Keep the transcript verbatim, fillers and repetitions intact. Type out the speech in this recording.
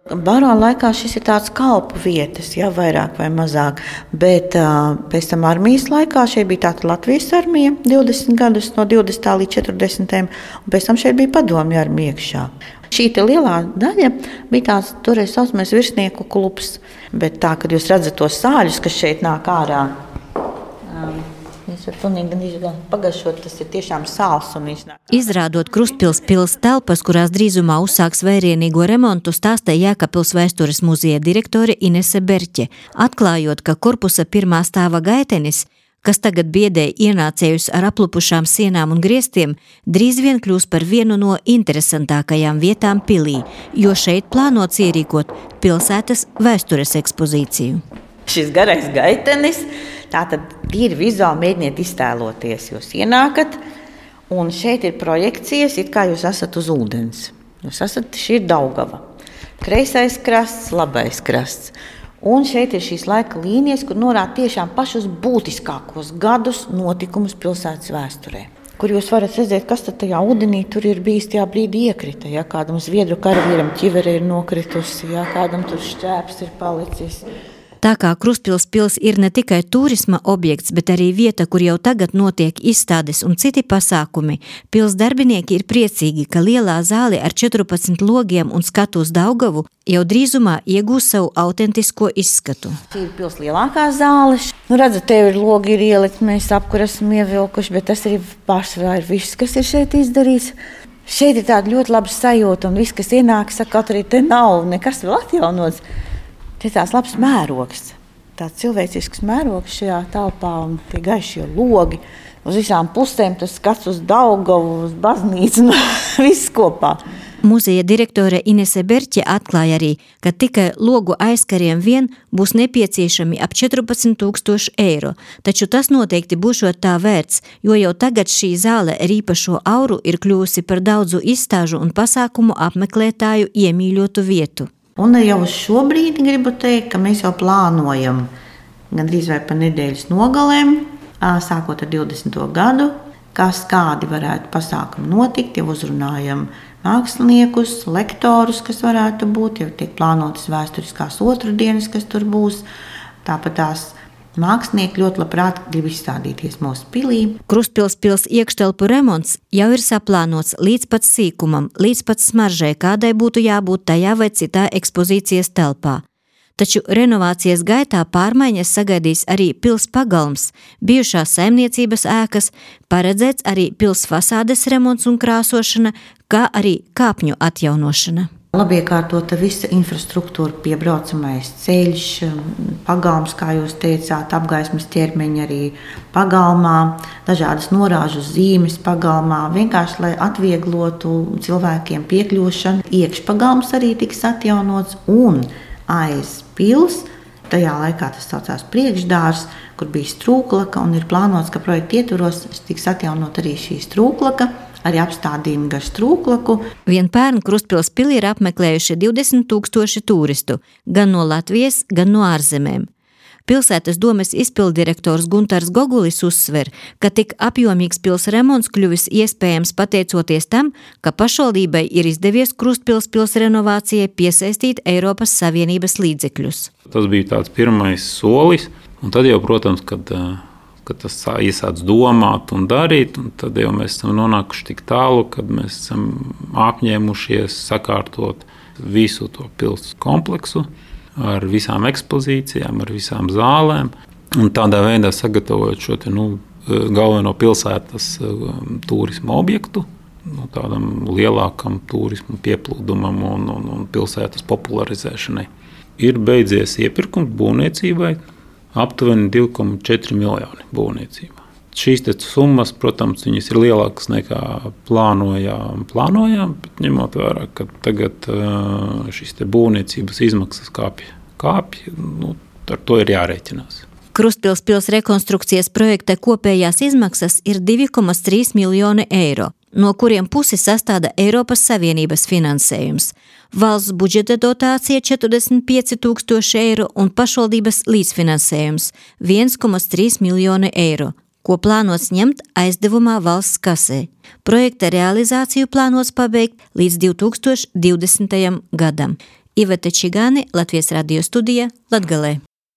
Barona laikā šis ir tāds kalpu vietas, ja vairāk vai mazāk, bet uh, pēc tam armijas laikā šeit bija tāda Latvijas armija divdesmit gadus no divdesmitā līdz četrdesmitajam, un pēc tam šeit bija padomju armija iekšā. Šī lielā daļa bija tāds toreiz saucamais virsnieku klubs, bet tā, kad jūs redzat tos sāļus, kas šeit nāk ārā, um, Viņš ir pilnīgi pagašot, tas ir tiešām sāls. Un viņš... Izrādot Krustpils pils telpas, kurās drīzumā uzsāks vērienīgo remontu, stāstīja Jēkabpils vēstures muzeja direktore Inese Berķe, atklājot, ka korpusa pirmā stāva gaitenis, kas tagad biedē ienācējus ar aplupušām sienām un griestiem, drīz vien kļūs par vienu no interesantākajām vietām pilī, jo šeit plānots ierīkot pilsētas vēstures ekspozīciju. Šis garais gaitenis, tātad ir vizuāli mēģiniet iztēloties, jūs ienākat, un šeit ir projekcijas, it kā jūs esat uz ūdens. Jūs esat, šī ir Daugava. Kreisais krasts, labais krasts. Un šeit ir šīs laika līnijas, kur norāda tiešām pašus būtiskākos gadus notikumus pilsētas vēsturē. Kur jūs varat redzēt, kas tad tajā ūdenī tur ir bijis tajā brīdī iekrita. Ja? Kādam zviedru karavīram ķivere ir nokritusi, ja? Kādam tur šķēps ir palicis. Tā kā Krustpils pils ir ne tikai turisma objekts, bet arī vieta, kur jau tagad notiek izstādes un citi pasākumi, pils darbinieki ir priecīgi, ka lielā zāle ar četrpadsmit logiem un skatu uz Daugavu jau drīzumā iegūs savu autentisko izskatu. Šī ir pils lielākā zāle. Nu, redzat, tev ir logi ir ielikt, mēs apkur esam ievilkuši, bet tas ir pārsvarā ir viss, kas ir šeit izdarīts. Šeit ir tāda ļoti laba sajūta, un viss, kas ienāk, saka, kaut arī te nav nekas vēl atjaunots. Tas ir tāds labs mērogs, tāds cilvēcisks mērogs šajā telpā un tie gaišie logi. Uz visām pusēm tas skats uz Daugavu, uz baznīcu, un viss kopā. Muzeja direktore Inese Berķe atklāja arī, ka tikai logu aizkariem vien būs nepieciešami ap četrpadsmit tūkstoši eiro, taču tas noteikti būšot tā vērts, jo jau tagad šī zāle ar īpašo auru ir kļūsi par daudzu izstāžu un pasākumu apmeklētāju iemīļotu vietu. Un jau uz šo brīdi gribu teikt, ka mēs jau plānojam gandrīz vai pa nedēļas nogalēm, sākot ar divdesmito gadu, kas kādi varētu pasākumi notikt, jau uzrunājam māksliniekus, lektorus, kas varētu būt, jau tiek plānotas vēsturiskās otrdienas, kas tur būs, tāpat tās mākslinieki ļoti labprāt grib izstādīties mūsu pilī. Krustpils pils iekštelpu remonts jau ir saplānots līdz pat sīkumam, līdz pat smaržai, kādai būtu jābūt tajā vai citā ekspozīcijas telpā. Taču renovācijas gaitā pārmaiņas sagaidīs arī pils pagalms, bijušās saimniecības ēkas, paredzēts arī pils fasādes remonts un krāsošana, kā arī kāpņu atjaunošana. Labi iekārtota visa infrastruktūra, piebraucamais ceļš, pagalms, kā jūs teicāt, apgaismas ķermeņi arī pagalmā, dažādas norāžu zīmes pagalmā, vienkārši, lai atvieglotu cilvēkiem piekļūšanu. Iekšpagalms arī tiks atjaunots un aiz pils, tajā laikā tas saucās priekšdārs, kur bija strūklaka un ir plānots, ka projekta ietvaros tiks atjaunot arī šī strūklaka, arī apstādījumi gar strūklaku. Vien pērn Krustpils pili ir apmeklējuši divdesmit tūkstoši turistu, gan no Latvijas, gan no ārzemēm. Pilsētas domes izpildirektors Guntars Gogulis uzsver, ka tik apjomīgs pils remonts kļuvis iespējams pateicoties tam, ka pašvaldībai ir izdevies Krustpils pils renovācijai piesaistīt Eiropas Savienības līdzekļus. Tas bija tāds pirmais solis, un tad jau, protams, kad kad tas iesāc domāt un darīt, un tad jau mēs esam nonākuši tik tālu, kad mēs esam apņēmušies sakārtot visu to pils kompleksu ar visām ekspozīcijām, ar visām zālēm, un tādā veidā sagatavojot šo te, nu, galveno pilsētas turisma objektu, nu, tādam lielākam turismu pieplūdumam un, un, un pilsētas popularizēšanai. Ir beidzies iepirkums būvniecībai, aptuveni divi komats četri miljoni būvniecībā. Šīs te summas, protams, viņas ir lielākas nekā plānojām, plānojām, bet ņemot vērā, ka tagad šīs te būvniecības izmaksas kāpja, kāpja, nu, ar to ir jārēķinās. Krustpils pils rekonstrukcijas projekta kopējās izmaksas ir divi komats trīs miljoni eiro, no kuriem pusi sastāda Eiropas Savienības finansējums. Valsts budžeta dotācija četrdesmit pieci tūkstoši eiro un pašvaldības līdzfinansējums viens komats trīs miljoni eiro, ko plānots ņemt aizdevumā valsts kasē. Projekta realizāciju plānots pabeigt līdz divi tūkstoši divdesmitajam gadam. Iveta Čigāne, Latvijas radio studija, Latgalē.